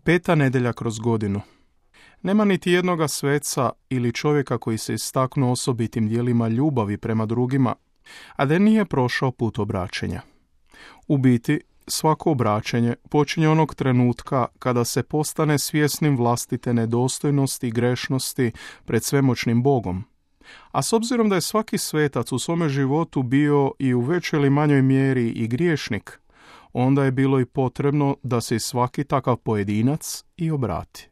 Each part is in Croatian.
Peta nedjelja kroz godinu. Nema niti jednoga sveca ili čovjeka koji se istaknuo osobitim dijelima ljubavi prema drugima, a da nije prošao put obraćenja. U biti, svako obraćenje počinje onog trenutka kada se postane svjesnim vlastite nedostojnosti i grešnosti pred svemoćnim Bogom. A s obzirom da je svaki svetac u svome životu bio i u većoj ili manjoj mjeri i griješnik, onda je bilo i potrebno da se i svaki takav pojedinac i obrati.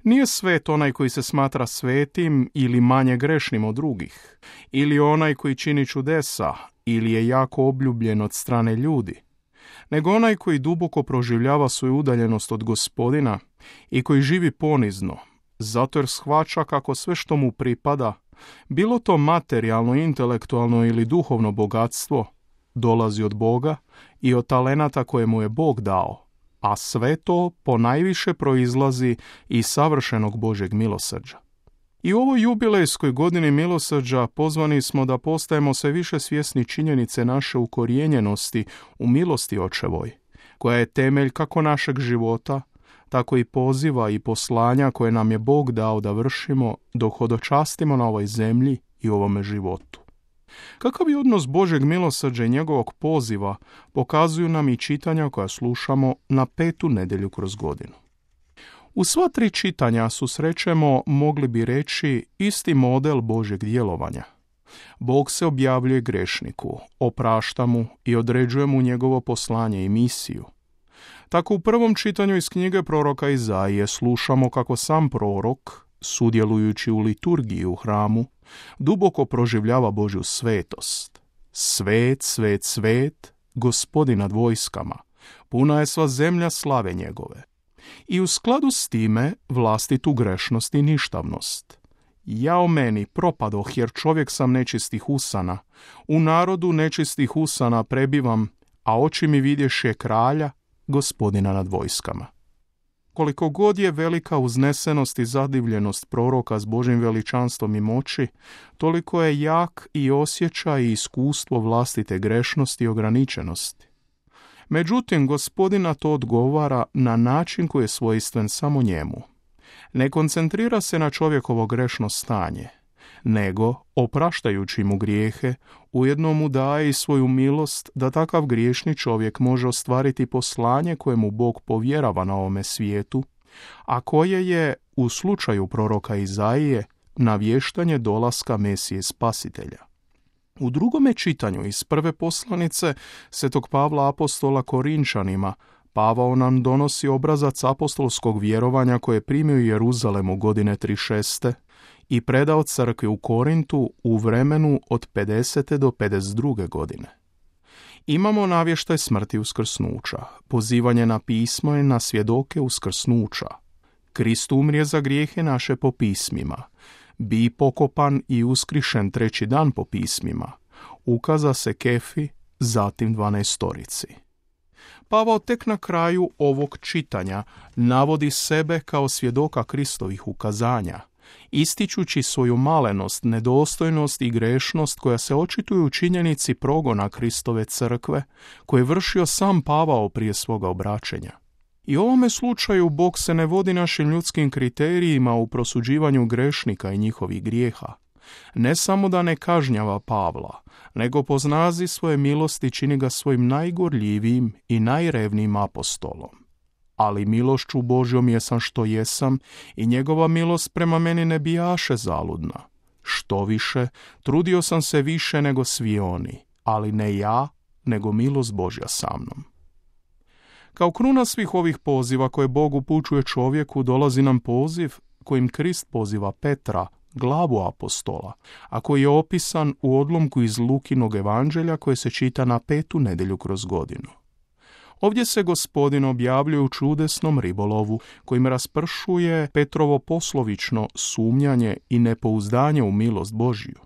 Nije svet onaj koji se smatra svetim ili manje grešnim od drugih, ili onaj koji čini čudesa ili je jako obljubljen od strane ljudi, nego onaj koji duboko proživljava svoju udaljenost od Gospodina i koji živi ponizno, zato jer shvaća kako sve što mu pripada, bilo to materijalno, intelektualno ili duhovno bogatstvo, dolazi od Boga i od talenata koje mu je Bog dao, a sve to ponajviše proizlazi iz savršenog Božjeg milosrđa. I u ovoj jubilejskoj godini milosrđa pozvani smo da postajemo sve više svjesni činjenice naše ukorijenjenosti u milosti Očevoj, koja je temelj kako našeg života, tako i poziva i poslanja koje nam je Bog dao da vršimo dok hodočastimo na ovoj zemlji i ovome životu. Kakav je odnos Božjeg milosrđa i njegovog poziva pokazuju nam i čitanja koja slušamo na petu nedjelju kroz godinu. U sva tri čitanja susrećemo, mogli bi reći, isti model Božjeg djelovanja. Bog se objavljuje grešniku, oprašta mu i određuje mu njegovo poslanje i misiju. Tako u prvom čitanju iz knjige proroka Izaije slušamo kako sam prorok, sudjelujući u liturgiji u hramu, duboko proživljava Božju svetost. Svet, svet, svet, Gospodin nad vojskama, puna je sva zemlja slave njegove. I u skladu s time vlastitu grešnost i ništavnost. Jao meni, propadoh, jer čovjek sam nečistih usana. U narodu nečistih usana prebivam, a oči mi vidješe kralja, Gospodina nad vojskama. Koliko god je velika uznesenost i zadivljenost proroka s Božjim veličanstvom i moći, toliko je jak i osjećaj i iskustvo vlastite grešnosti i ograničenosti. Međutim, Gospodina to odgovara na način koji je svojstven samo njemu. Ne koncentrira se na čovjekovo grešno stanje, nego, opraštajući mu grijehe, ujedno mu daje i svoju milost da takav griješni čovjek može ostvariti poslanje koje mu Bog povjerava na ovome svijetu, a koje je, u slučaju proroka Izaije, navještanje dolaska Mesije Spasitelja. U drugome čitanju iz prve poslanice Svetog Pavla apostola Korinčanima, Pavao nam donosi obrazac apostolskog vjerovanja koje je primio u Jeruzalemu godine 36. i predao crkvi u Korintu u vremenu od 50. do 52. godine. Imamo navještaj smrti uskrsnuća, pozivanje na pismo i na svjedoke uskrsnuća. Krist umrije za grijehe naše po pismima, bi pokopan i uskrišen treći dan po pismima, ukaza se Kefi, zatim 12. Pavao tek na kraju ovog čitanja navodi sebe kao svjedoka Kristovih ukazanja, ističući svoju malenost, nedostojnost i grešnost koja se očituju u činjenici progona Kristove crkve, koje je vršio sam Pavao prije svoga obraćenja. I u ovome slučaju Bog se ne vodi našim ljudskim kriterijima u prosuđivanju grešnika i njihovih grijeha. Ne samo da ne kažnjava Pavla, nego po snazi svoje milosti čini ga svojim najgorljivijim i najrevnijim apostolom. Ali milošću Božjom jesam što jesam i njegova milost prema meni ne bijaše zaludna. Što više, trudio sam se više nego svi oni, ali ne ja, nego milost Božja sa mnom. Kao kruna svih ovih poziva koje Bog upućuje čovjeku, dolazi nam poziv kojim Krist poziva Petra, glavu apostola, a koji je opisan u odlomku iz Lukinog evanđelja koje se čita na petu nedjelju kroz godinu. Ovdje se Gospodin objavljuje u čudesnom ribolovu kojim raspršuje Petrovo poslovično sumnjanje i nepouzdanje u milost Božju.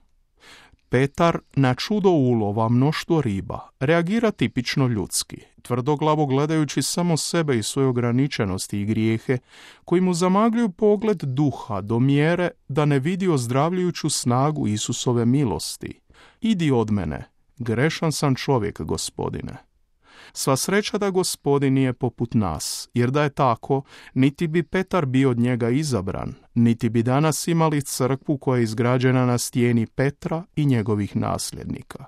Petar na čudo ulova mnoštvo riba reagira tipično ljudski, tvrdoglavo gledajući samo sebe i svoje ograničenosti i grijehe, koji mu zamagljuju pogled duha do mjere da ne vidi ozdravljujuću snagu Isusove milosti. Idi od mene, grešan sam čovjek, Gospodine. Sva sreća da Gospodin nije poput nas, jer da je tako, niti bi Petar bio od njega izabran, niti bi danas imali crkvu koja je izgrađena na stijeni Petra i njegovih nasljednika.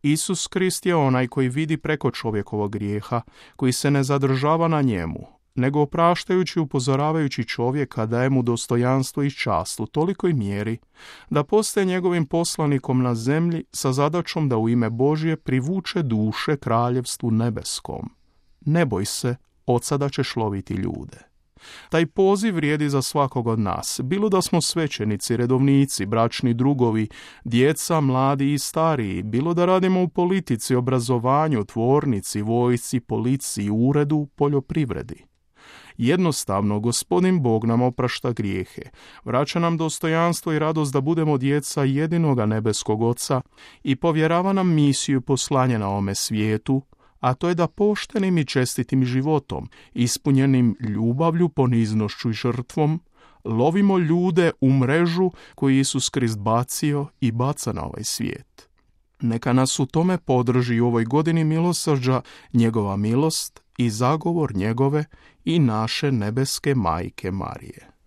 Isus Krist je onaj koji vidi preko čovjekovog grijeha, koji se ne zadržava na njemu, nego opraštajući i upozoravajući čovjeka daje mu dostojanstvo i čast u tolikoj mjeri da postaje njegovim poslanikom na zemlji sa zadaćom da u ime Božje privuče duše kraljevstvu nebeskom. Ne boj se, od sada ćeš loviti ljude. Taj poziv vrijedi za svakog od nas, bilo da smo svećenici, redovnici, bračni drugovi, djeca, mladi i stariji, bilo da radimo u politici, obrazovanju, tvornici, vojsci, policiji, uredu, poljoprivredi. Jednostavno, Gospodin Bog nam oprašta grijehe, vraća nam dostojanstvo i radost da budemo djeca jedinoga nebeskog Oca i povjerava nam misiju poslanja na ovome svijetu, a to je da poštenim i čestitim životom, ispunjenim ljubavlju, poniznošću i žrtvom, lovimo ljude u mrežu koju Isus Krist bacio i baca na ovaj svijet. Neka nas u tome podrži u ovoj godini milosrđa njegova milost i zagovor njegove i naše nebeske majke Marije.